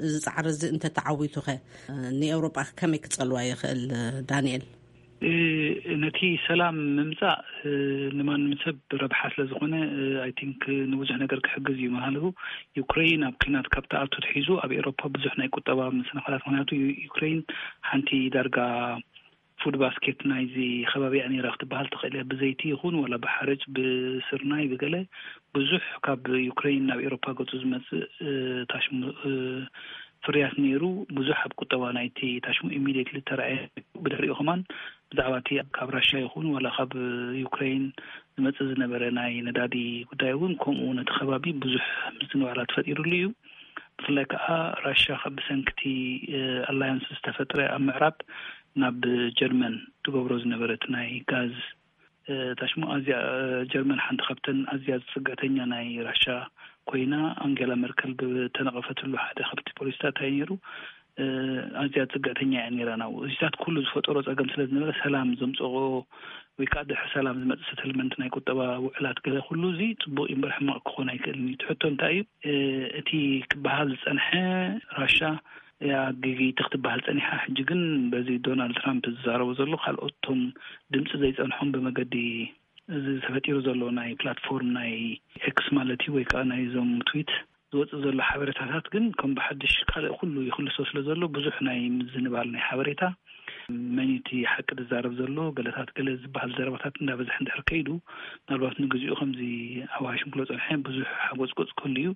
እዚ ጻዕሪ እዚ እንተተዓዊቱኸ፣ እ፣ ንኤውሮጳ ከመይ ክጸልዋ ይኽእል፣ እ፣ ዳንኤል? እ፣ ነቲ ሰላም ምምጻእ፣ እ፣ ንማንም ሰብ ረብሓ ስለ ዝኾነ፣ እ፣ ኣይ ቲንክ ንብዙሕ ነገር ክሕግዝ እዩ። ምሃለቡ ዩክሬን ኣብ ኲናት ካብ ተኣቱ ትሒዙ ኣብ ኤውሮፓ ብዙሕ ናይ ቁጠባ መሰናኽላት፣ ምኽንያቱ ዩ-፣ ዩክሬን ሓንቲ ዳርጋ ፉድ ባስኬት ናይዚ ከባቢ እያ ነይራ ክትበሃል ትኽእል እያ። ብዘይቲ ይኹን ዋላ ብሓርጭ፣ ብስርናይ፣ ብገለ ብዙሕ ካብ ዩክሬን ናብ ኤውሮፓ ገጹ ዝመጽእ፣ እ፣ ታሽሙ፣ እ፣ ፍርያት ነይሩ። ብዙሕ ኣብ ቁጠባ ናይቲ ታሽሙ ኢሚድየትሊ ተራእየ። ብድሕሪኡ ከማን ብዛዕባ እቲ ካብ ራሽያ ይኹን ዋላ ካብ ዩክሬን ዝመጽእ ዝነበረ ናይ ነዳዲ ጉዳይ እውን ከምኡ ነቲ ከባቢ ብዙሕ ምዝንባላት ፈጢሩሉ እዩ። ብፍላይ ከዓ ራሽያ ካብ ብሰንክቲ፣ እ፣ ኣላያንስ ዝተፈጥረ ኣብ ምዕራብ ናብ ጀርመን ትገብሮ ዝነበረት ናይ ጋዝ፣ እ፣ ታሽሙ ኣዝያ፣ እ፣ ጀርመን ሓንቲ ካብተን ኣዝያ ዝጽግዕተኛ ናይ ራሽያ ኮይና፣ ኣንጌላ መርከል ብተነቐፈትሉ ሓደ ካብቲ ፖሊሲታት እንታይ ነይሩ? ኣዝያ ጽግዕተኛ እያ ነይራ። ናብኡ እዚታት ኩሉ ዝፈጠሮ ጸገም ስለ ዝነበረ፣ ሰላም ዘምጽኦ ወይ ከዓ ድሕሪ ሰላም ዝመጽእ ሰትልመንት፣ ናይ ቁጠባ ውዕላት፣ ገለ ኩሉ እዚ ጽቡቕ እዩ እምበር ሕማቕ ክኾን ኣይክእልን እዩ። እቲ ሕቶ እንታይ እዩ? እቲ ክበሃል ዝጸንሐ፣ ራሻ እያ ጌገይቲ ክትበሃል ጸኒሓ። ሕጂ ግን በዚ ዶናልድ ትራምፕ ዝዛረቦ ዘሎ፣ ካልኦት እቶም ድምፂ ዘይጸንሖም ብመገዲ እዚ ተፈጢሩ ዘሎ ናይ ፕላትፎርም ናይ ኤክስ ማለት እዩ፣ ወይ ከዓ ናይዞም ትዊት ዝወፅእ ዘሎ ሓበሬታታት ግን ከም ብሓድሽ ካልእ ኩሉ ይኽልሶ ስለ ዘሎ፣ ብዙሕ ናይ ምዝንባል ናይ ሓበሬታ፣ መን እቲ ሓቂ ዝዛረብ ዘሎ፣ ገለታት ገለ ዝበሃል ዘረባታት እንዳበዝሐ እንድሕር ከይዱ፣ ምናልባት ንግዚኡ ከምዚ ኣብ ዋሽንግተን ጸንሐ ብዙሕ ሓጎጽጎጽ ክህሉ እዩ።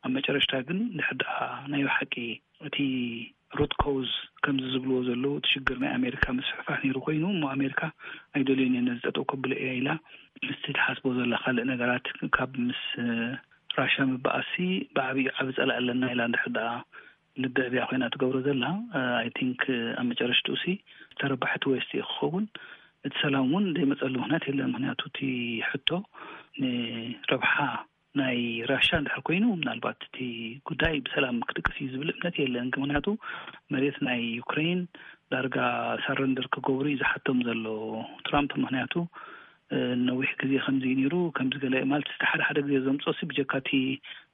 ኣብ መጨረሽታ ግን ድሕር ደኣ ናይ ብሓቂ እቲ ሩት ኮዝ ከምዚ ዝብልዎ ዘለዉ፣ እቲ ሽግር ናይ ኣሜሪካ ምስፍሕፋሕ ነይሩ ኮይኑ፣ እሞ ኣሜሪካ ኣይደልዮን እየ፣ ነዚ ጠጠው ከብሎ እየ ኢላ፣ ምስቲ ትሓስቦ ዘላ ካልእ ነገራት፣ ካብ ምስ ራሻ ምበኣሲ ብዓብዩ ዓቢ ጸላኢ ኣለና ኢላ እንድሕር ደኣ ልቢ ዕብያ ኮይና ትገብሮ ዘላ፣ ኣይ ቲንክ ኣብ መጨረሽትኡ ሲ ተረባሕቲ ዌስት እዩ ክኸውን። እቲ ሰላም እውን ዘይመጸሉ ምኽንያት የለን። ምኽንያቱ እቲ ሕቶ ንረብሓ ናይ ራሻ እንድሕር ኮይኑ፣ ምናልባት እቲ ጉዳይ ብሰላም ክድቅስ እዩ ዝብል እምነት የለን። ምኽንያቱ መሬት ናይ ዩክሬን ዳርጋ ሳረንደር ክገብሩ እዩ ዝሓቶም ዘሎ ትራምፕ። ምኽንያቱ ነዊሕ ግዜ ከምዚ እዩ ነይሩ፣ ከምዚ ገለ ማለት፣ እቲ ሓደ ሓደ ግዜ ዘምፅኦ ሲ ብጀካ እቲ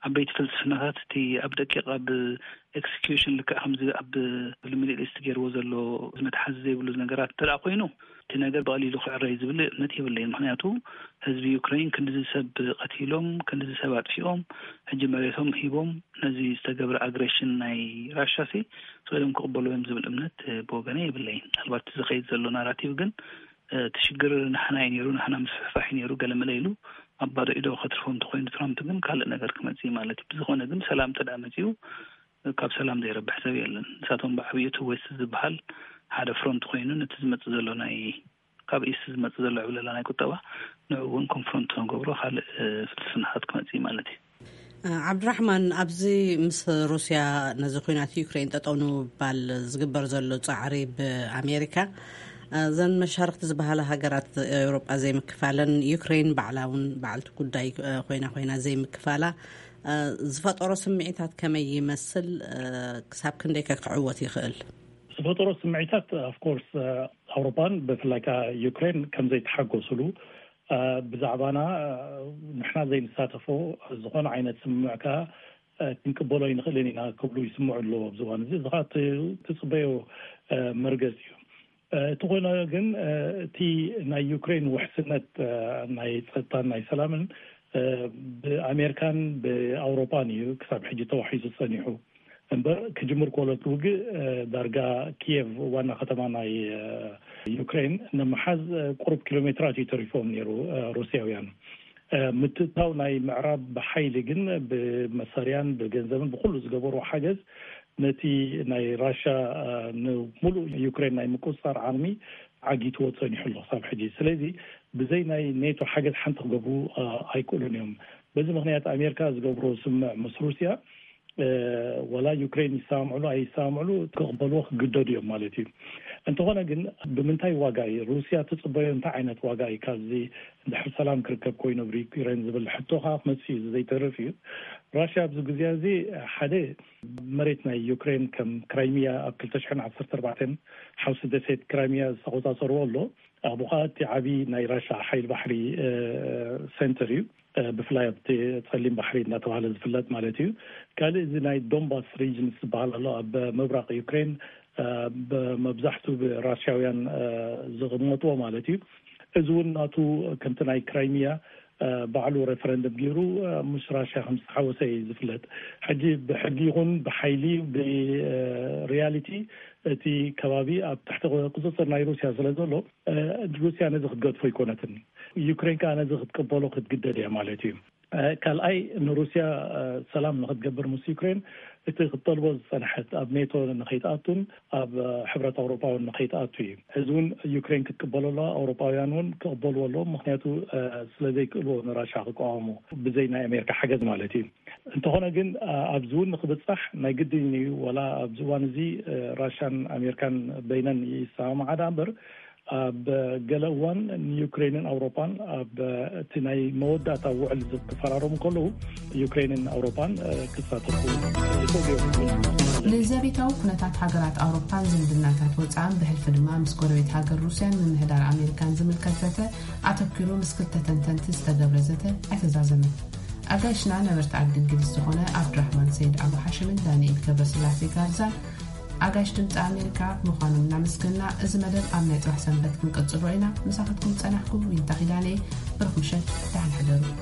ዓበይቲ ፍልስፍናታት፣ እቲ ኣብ ደቂቕ ኣብ ኤክስኪዩሽን፣ ልክዕ ከምዚ ኣብ ሚድል ኢስት ገይርዎ ዘሎ፣ መትሓዚ ዘይብሉ ነገራት እንተ ደኣ ኮይኑ፣ እቲ ነገር ብቐሊሉ ክዕረ እዩ ዝብል እምነት የብለይን። ምኽንያቱ ህዝቢ ዩክሬን ክንድዚ ሰብ ቀቲሎም፣ ክንድዚ ሰብ ኣጥፊኦም፣ ሕጂ መሬቶም ሂቦም፣ ነዚ ዝተገብረ ኣግሬሽን ናይ ራሻ ሲ ስቕ ኢሎም ክቕበሉ እዮም ዝብል እምነት ብወገነ የብለይን። ምናልባት ዝኸይድ ዘሎ ናራቲቭ ግን እቲ ሽግር ንሕና እዩ ነይሩ፣ ንሕና ምስፍሕፋሕ እዩ ነይሩ፣ ገለመለ ኢሉ ኣብ ባዶ ኢዶ ከትርፎ እንተኾይኑ፣ ትራምፕ ግን ካልእ ነገር ክመጽእ እዩ ማለት እዩ። ብዝኾነ ግን ሰላም እንተ ደኣ መጺኡ፣ ካብ ሰላም ዘይረብሕ ሰብ የለን። ንሳቶም ብዓብዩ እቲ ዌስት ዝበሃል ሓደ ፍሮንት ኮይኑ፣ ነቲ ዝመጽእ ዘሎ ናይ፣ ካብ ኢስት ዝመጽእ ዘሎ ዕብለላ ናይ ቁጠባ፣ ንዕኡ እውን ኮንፍሮንት ንገብሮ ካልእ ፍልስፍናታት ክመጽእ እዩ ማለት እዩ። ዓብድራሕማን፣ ኣብዚ ምስ ሩስያ ነዚ ኲናት ዩክሬን ጠጠው ንምባል ዝግበር ዘሎ ጻዕሪ ብኣሜሪካ፣ እዘን መሻርክቲ ዝበሃላ ሃገራት ኤውሮጳ ዘይምክፋለን፣ ዩክሬን ባዕላ እውን በዓልቲ ጉዳይ ኮይና ኮይና ዘይምክፋላ ዝፈጠሮ ስምዒታት ከመይ ይመስል? ክሳብ ክንደይ ከ ክዕወት ይኽእል? ዝፈጠሮ ስምዒታት፣ ኦፍኮርስ፣ ኣውሮፓን ብፍላይ ከዓ ዩክሬን ከም ዘይተሓጎስሉ፣ ብዛዕባና ንሕና ዘይንሳተፎ ዝኾነ ዓይነት ስምምዕ ከዓ ክንቅበሎ ኣይንኽእልን ኢና ክብሉ ይስምዑ ኣለዉ ኣብዚ እዋን እዚ። እዚ ከዓ ትፅበዮ መርገፂ እዩ። እቲ ኮይነ ግን እቲ ናይ ዩክሬን ውሕስነት ናይ ፀጥታን ናይ ሰላምን ብኣሜሪካን ብኣውሮፓን እዩ ክሳብ ሕጂ ተዋሒሱ ፀኒሑ። እምበር ክጅምር ከሎ እቲ ውግእ ዳርጋ ኪየቭ ዋና ከተማ ናይ ዩክሬን ንምሓዝ ቁሩብ ኪሎ ሜትራት እዩ ተሪፎም ነይሩ ሩስያውያን። ምትእታው ናይ ምዕራብ ብሓይሊ ግን ብመሳርያን ብገንዘብን ብኩሉ ዝገበርዎ ሓገዝ ነቲ ናይ ራሻ ንሙሉእ ዩክሬን ናይ ምቁፅፃር ዓቕሚ ዓጊትዎ ፀኒሑ ኣሎ ክሳብ ሕጂ። ስለዚ ብዘይ ናይ ኔቶ ሓገዝ ሓንቲ ክገብሩ ኣይክእሉን እዮም። በዚ ምኽንያት ኣሜሪካ ዝገብሮ ስምምዕ ምስ ሩስያ ወላ ዩክሬን ይሰማምዕሉ ኣይሰማምዕሉ ክቕበልዎ ክግደዱ እዮም ማለት እዩ። እንተኾነ ግን ብምንታይ ዋጋ እዩ ሩስያ ትፅበዮ? እንታይ ዓይነት ዋጋ እዩ ካብዚ ድሕሪ ሰላም ክርከብ ኮይኑ ኣብ ዩክሬን ዝብል ሕቶ ከዓ ክመፅእ እዩ፣ ዘይተርፍ እዩ። ራሽያ ኣብዚ ግዜ እዚ ሓደ መሬት ናይ ዩክሬን ከም ክራይሚያ ኣብ ክልተ ሽሕን ዓሰርተ ኣርባዕተን ሓውሲ ደሴት ክራይሚያ ዝተቆፃፀርዎ ኣሎ። ኣብኡ ከዓ እቲ ዓብዪ ናይ ራሻ ሓይል ባሕሪ ሴንተር እዩ። ብፍላይ ኣብቲ ጸሊም ባሕሪ እናተባህለ ዝፍለጥ ማለት እዩ። ካልእ እዚ ናይ ዶንባስ ሪጅን ዝበሃል ኣሎ ኣብ ምብራቕ ዩክሬን፣ መብዛሕቱ ብራሽያውያን ዝቕመጥዎ ማለት እዩ። እዚ እውን ናቱ ከምቲ ናይ ክራይሚያ ባዕሉ ሬፈረንደም ገይሩ ምስ ራሽያ ከም ዝተሓወሰ እዩ ዝፍለጥ። ሕጂ ብሕጊ ይኹን ብሓይሊ ብሪያሊቲ እቲ ከባቢ ኣብ ትሕቲ ቁፅፅር ናይ ሩስያ ስለ ዘሎ ሩስያ ነዚ ክትገድፎ ኣይኮነትን። ዩክሬን ከዓ ነዚ ክትቅበሎ ክትግደድ እያ ማለት እዩ። ካልኣይ ንሩስያ ሰላም ንክትገብር ምስ ዩክሬን እቲ ክትጠልቦ ዝፀንሐት ኣብ ኔቶ ንከይትኣቱን ኣብ ሕብረት ኣውሮፓ እውን ንከይትኣቱ እዩ። እዚ እውን ዩክሬን ክትቅበሎ ኣለዋ፣ ኣውሮፓውያን እውን ክቅበልዎ ኣለዎም። ምክንያቱ ስለዘይክእልዎ ንራሻ ክቃወሙ ብዘይ ናይ ኣሜሪካ ሓገዝ ማለት እዩ። እንተኾነ ግን ኣብዚ እውን ንክብፃሕ ናይ ግድን እዩ። ወላ ኣብዚ እዋን እዚ ራሻን ኣሜሪካን በይነን ይሰማማዓ ደኣ እምበር ኣብ ገለ እዋን ንዩክሬንን ኣውሮፓን ኣብ እቲ ናይ መወዳእታ ውዕል ዝተፈራረሙ ከለዉ፣ ዩክሬንን ኣውሮፓን ክሳተፉ ይኽእሉ እዮም። ንዘቤታዊ ኩነታት ሃገራት ኣውሮፓን ዝምድናታት ወፃእን ብሕልፊ ድማ ምስ ጎረቤት ሃገር ሩስያን ምምሕዳር ኣሜሪካን ዝምልከት ዘተ ኣተኪሩ ምስ ክልተ ተንተንቲ ዝተገብረ ዘተ ኣይተዛዘመን። ኣጋይሽና ነበርቲ ዓዲ እንግሊዝ ዝኾነ ኣብዱራህማን ሰይድ ኣቡ ሓሽምን ዳንኤል ገብረስላሴ ጋርዛን ኣጋይሽ ድምፂ ኣሜሪካ ምዃኖም እናመስገና፣ እዚ መደብ ኣብ ናይ ፅባሕ ሰንበት ክንቅፅሎ ኢና። ምሳኻትኩም ዝፀናሕኩ ዊንታ ኪዳነ። ብሩኽ ምሸት፣ ደሓን ሕደሩ።